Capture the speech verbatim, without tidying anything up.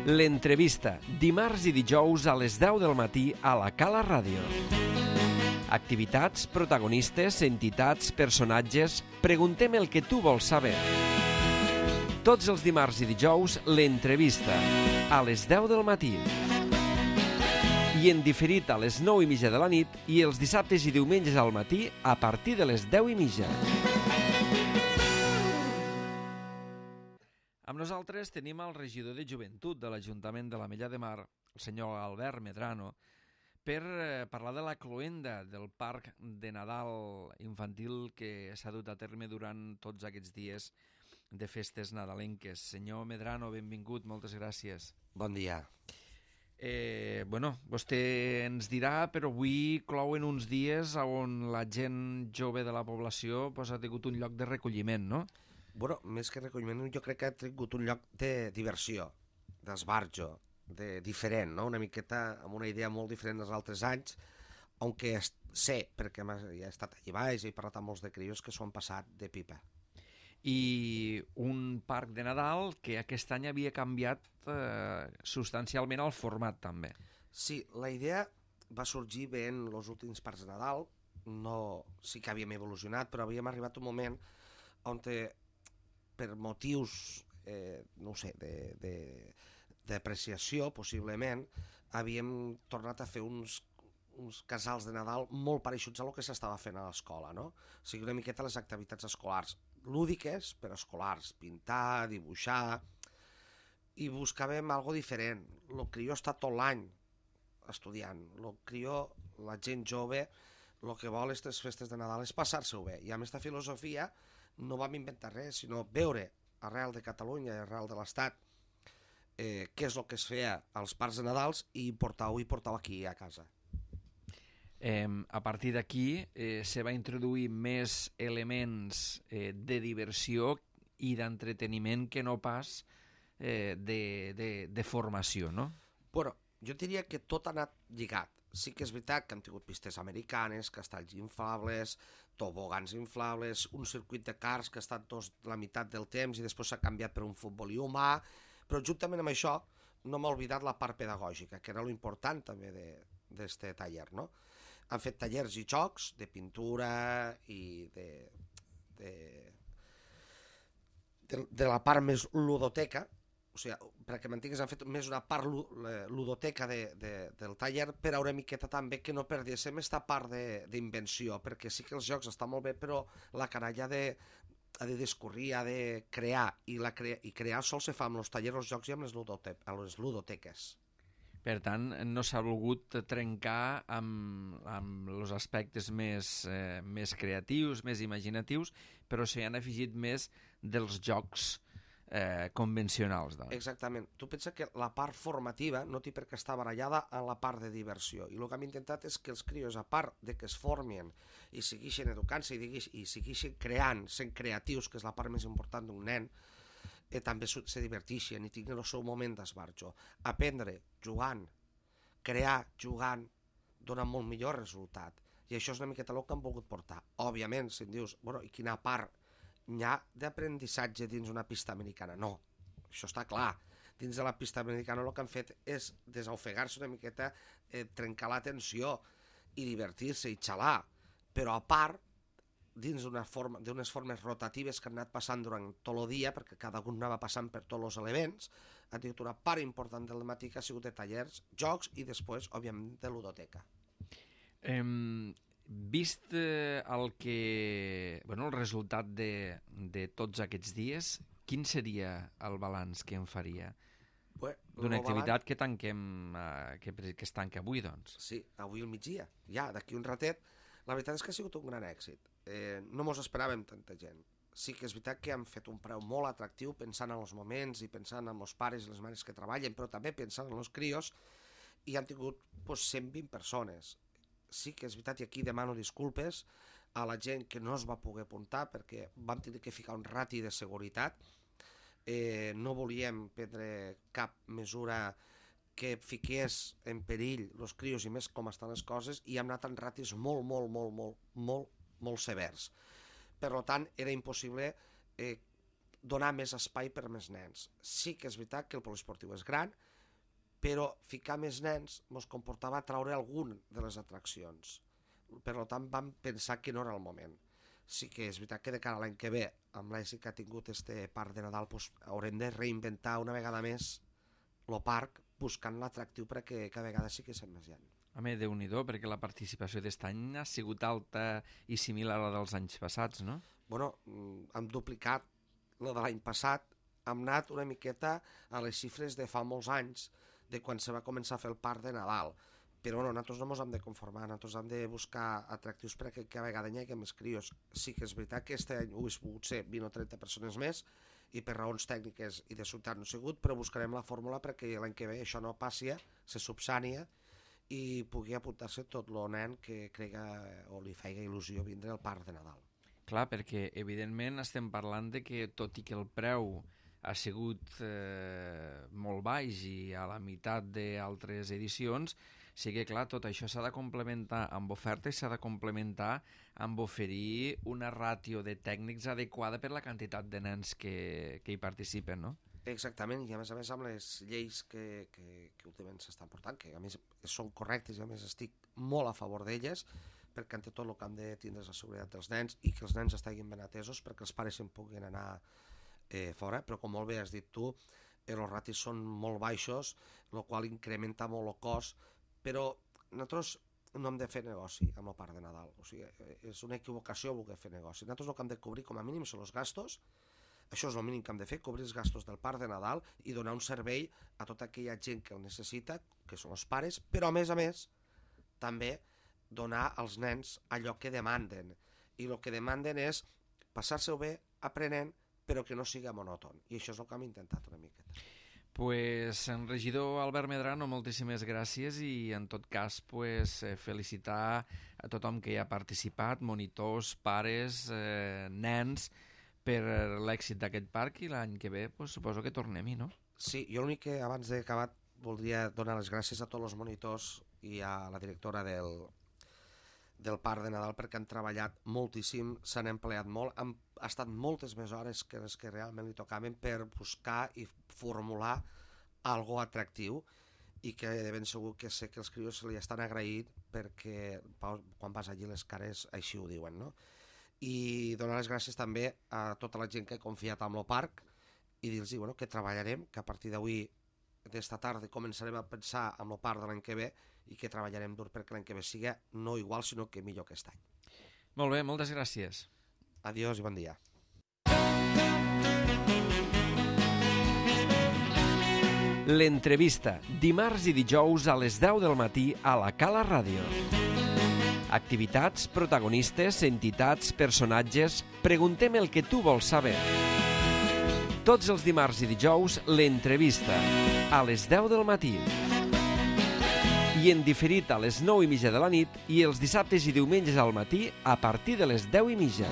L'entrevista, dimarts i dijous a les deu del matí a la Cala Ràdio. Activitats, protagonistes, entitats, personatges... Preguntem el que tu vols saber. Tots els dimarts i dijous, l'entrevista, a les deu del matí. I en diferit a les nou i mitja de la nit i els dissabtes i diumenges al matí a partir de les deu i mitja. Amb nosaltres tenim el regidor de Joventut de l'Ajuntament de l'Ametlla de Mar, el senyor Albert Medrano, per eh, parlar de la cloenda del Parc de Nadal infantil que s'ha dut a terme durant tots aquests dies de festes nadalenques. Senyor Medrano, benvingut, moltes gràcies. Bon dia. Eh, bueno, vostè ens dirà, però avui clouen uns dies on la gent jove de la població pues, ha tingut un lloc de recolliment, no? Bueno, més que recolliment, jo crec que ha tingut un lloc de diversió, d'esbarjo, de diferent, no? Una miqueta amb una idea molt diferent dels altres anys, aunque sé, perquè ja he estat allà baix i he parlat amb molts de crios que s'ho han passat de pipa. I un parc de Nadal que aquest any havia canviat eh, substancialment el format també. Sí, la idea va sorgir ben els últims parcs de Nadal, no, sí que havíem evolucionat, però havíem arribat un moment on te, per motius, eh, no ho sé, d'apreciació, possiblement, havíem tornat a fer uns, uns casals de Nadal molt pareixuts a lo que s'estava fent a l'escola, no? O sigui, una miqueta les activitats escolars, lúdiques, però escolars, pintar, dibuixar, i buscàvem algo diferent. El crió està tot l'any estudiant, el crió, la gent jove, el que vol aquestes festes de Nadal és passar-se-ho bé, i amb aquesta filosofia no vam inventar res, sinó veure arrel de Catalunya i arrel de l'Estat eh, què és el que es feia als parcs de Nadals i portar-ho i portar-ho aquí a casa. Eh, a partir d'aquí eh, se va introduir més elements eh, de diversió i d'entreteniment que no pas eh, de, de, de formació, no? Bueno, jo diria que tot ha anat lligat. Sí que és veritat que han tingut pistes americanes, castells inflables, tobogans inflables, un circuit de cars que ha estat dos, la meitat del temps i després s'ha canviat per un futbolí humà, però juntament amb això no m'ha oblidat la part pedagògica, que era l'important també d'aquest taller, no? Han fet tallers i jocs de pintura i de, de, de, de la part més ludoteca, o sigui, perquè m'entenguis, han fet més una part ludoteca de, de, del taller, però una miqueta també que no perdéssim aquesta part d'invenció, perquè sí que els jocs estan molt bé, però la canalla ha de, ha de discorrir, ha de crear, i, la crea, i crear sol se fa amb els tallers, els jocs i amb les, ludote, amb les ludoteques. Per tant, no s'ha volgut trencar amb, amb els aspectes més, eh, més creatius, més imaginatius, però s'hi han afegit més dels jocs Eh, convencionals. Doncs. Exactament. Tu pensa que la part formativa no té per què estar barallada en la part de diversió, i el que hem intentat és que els crios, a part de que es formin i segueixin educant-se i, i segueixin creant, sent creatius, que és la part més important d'un nen, eh, també se diverteixin i tinguin el seu moment d'esbarjo. Aprendre jugant, crear jugant, dona molt millor resultat, i això és una miqueta el que hem volgut portar. Òbviament, si em dius, bueno, i quina part n'hi ha d'aprenentatge dins una pista americana? No, això està clar. Dins de la pista americana el que han fet és desofegar-se una miqueta, eh, trencar la tensió i divertir-se i xalar, però a part, dins d'unes forma, formes rotatives que han anat passant durant tot el dia, perquè cada un anava passant per tots els elements, ha tingut una part important del matí que ha sigut de tallers, jocs i després, òbviament, de ludoteca. Eh... Vist eh, el que, bueno, el resultat de, de tots aquests dies, quin seria el balanç que en faria? Bueno, d'una activitat balanç... que tanquem, eh, que, que es tanca avui, doncs. Sí, avui al migdia, ja, d'aquí un ratet. La veritat és que ha sigut un gran èxit. Eh, no mos esperàvem tanta gent. Sí que és veritat que han fet un preu molt atractiu pensant en els moments i pensant en els pares i les mares que treballen, però també pensant en els crios, i han tingut pues, cent vint persones. Sí que és veritat, i aquí demano disculpes a la gent que no es va poder apuntar perquè vam tenir que ficar un rati de seguretat. Eh, no volíem prendre cap mesura que fiqués en perill els crios i més com estan les coses, i hem anat en ratis molt, molt, molt, molt, molt, molt severs. Per tant, era impossible eh, donar més espai per a més nens. Sí que és veritat que el poliesportiu és gran, però ficar més nens ens comportava treure algun de les atraccions. Per tant, vam pensar que no era el moment. Sí que és veritat que de cara a l'any que ve, amb l'èxit que ha tingut este parc de Nadal, doncs, haurem de reinventar una vegada més el parc, buscant l'atractiu perquè cada vegada sí que se'n més gent. Home, Déu-n'hi-do, perquè la participació d'aquest any ha sigut alta i similar a la dels anys passats, no? Bueno, hem duplicat la de l'any passat, hem anat una miqueta a les xifres de fa molts anys, de quan se va començar a fer el parc de Nadal. Però bueno, nosaltres no ens hem de conformar, nosaltres hem de buscar atractius perquè cada vegada hi hagi més crios. Sí que és veritat que aquest any ho hagués pogut ser vint o trenta persones més, i per raons tècniques i de ciutat no ha sigut, però buscarem la fórmula perquè l'any que ve això no passi, se subsània i pugui apuntar-se tot el nen que crega o li feia il·lusió vindre al parc de Nadal. Clar, perquè evidentment estem parlant de que tot i que el preu ha sigut eh, molt baix i a la meitat d'altres edicions, sí que clar, tot això s'ha de complementar amb oferta i s'ha de complementar amb oferir una ràtio de tècnics adequada per la quantitat de nens que, que hi participen, no? Exactament, i a més a més amb les lleis que, que, que últimament s'estan portant, que a més són correctes i a més estic molt a favor d'elles, perquè ante tot el que hem de tindre és la seguretat dels nens i que els nens estiguin ben atesos perquè els pares se'n puguin anar eh, fora, però com molt bé has dit tu, eh, els ratis són molt baixos, el qual incrementa molt el cost, però nosaltres no hem de fer negoci amb el parc de Nadal, o sigui, és una equivocació voler fer negoci. Nosaltres el que hem de cobrir com a mínim són els gastos. Això és el mínim que hem de fer, cobrir els gastos del parc de Nadal i donar un servei a tota aquella gent que el necessita, que són els pares, però a més a més també donar als nens allò que demanden. I el que demanden és passar-se-ho bé aprenent, però que no sigui monòton. I això és el que hem intentat una miqueta. Pues, en regidor Albert Medrano, moltíssimes gràcies i en tot cas pues, felicitar a tothom que hi ha participat, monitors, pares, eh, nens, per l'èxit d'aquest parc i l'any que ve pues, suposo que tornem-hi, no? Sí, jo l'únic que abans d'acabar voldria donar les gràcies a tots els monitors i a la directora del, del parc de Nadal perquè han treballat moltíssim, s'han empleat molt, han estat moltes més hores que les que realment li tocaven per buscar i formular algo atractiu i que de ben segur que sé que els crios li estan agraït perquè quan vas allí les cares així ho diuen, no? I donar les gràcies també a tota la gent que ha confiat en el parc i dir-los bueno, que treballarem, que a partir d'avui, d'esta tarda, començarem a pensar en el parc de l'any que ve i que treballarem dur perquè l'any que ve sigui no igual, sinó que millor que aquest any. Molt bé, moltes gràcies. Adiós i bon dia. L'entrevista, dimarts i dijous a les deu del matí a la Cala Ràdio. Activitats, protagonistes, entitats, personatges... Preguntem el que tu vols saber. Tots els dimarts i dijous, l'entrevista, a les deu del matí. I en diferit a les nou i mitja de la nit i els dissabtes i diumenges al matí a partir de les deu i mitja.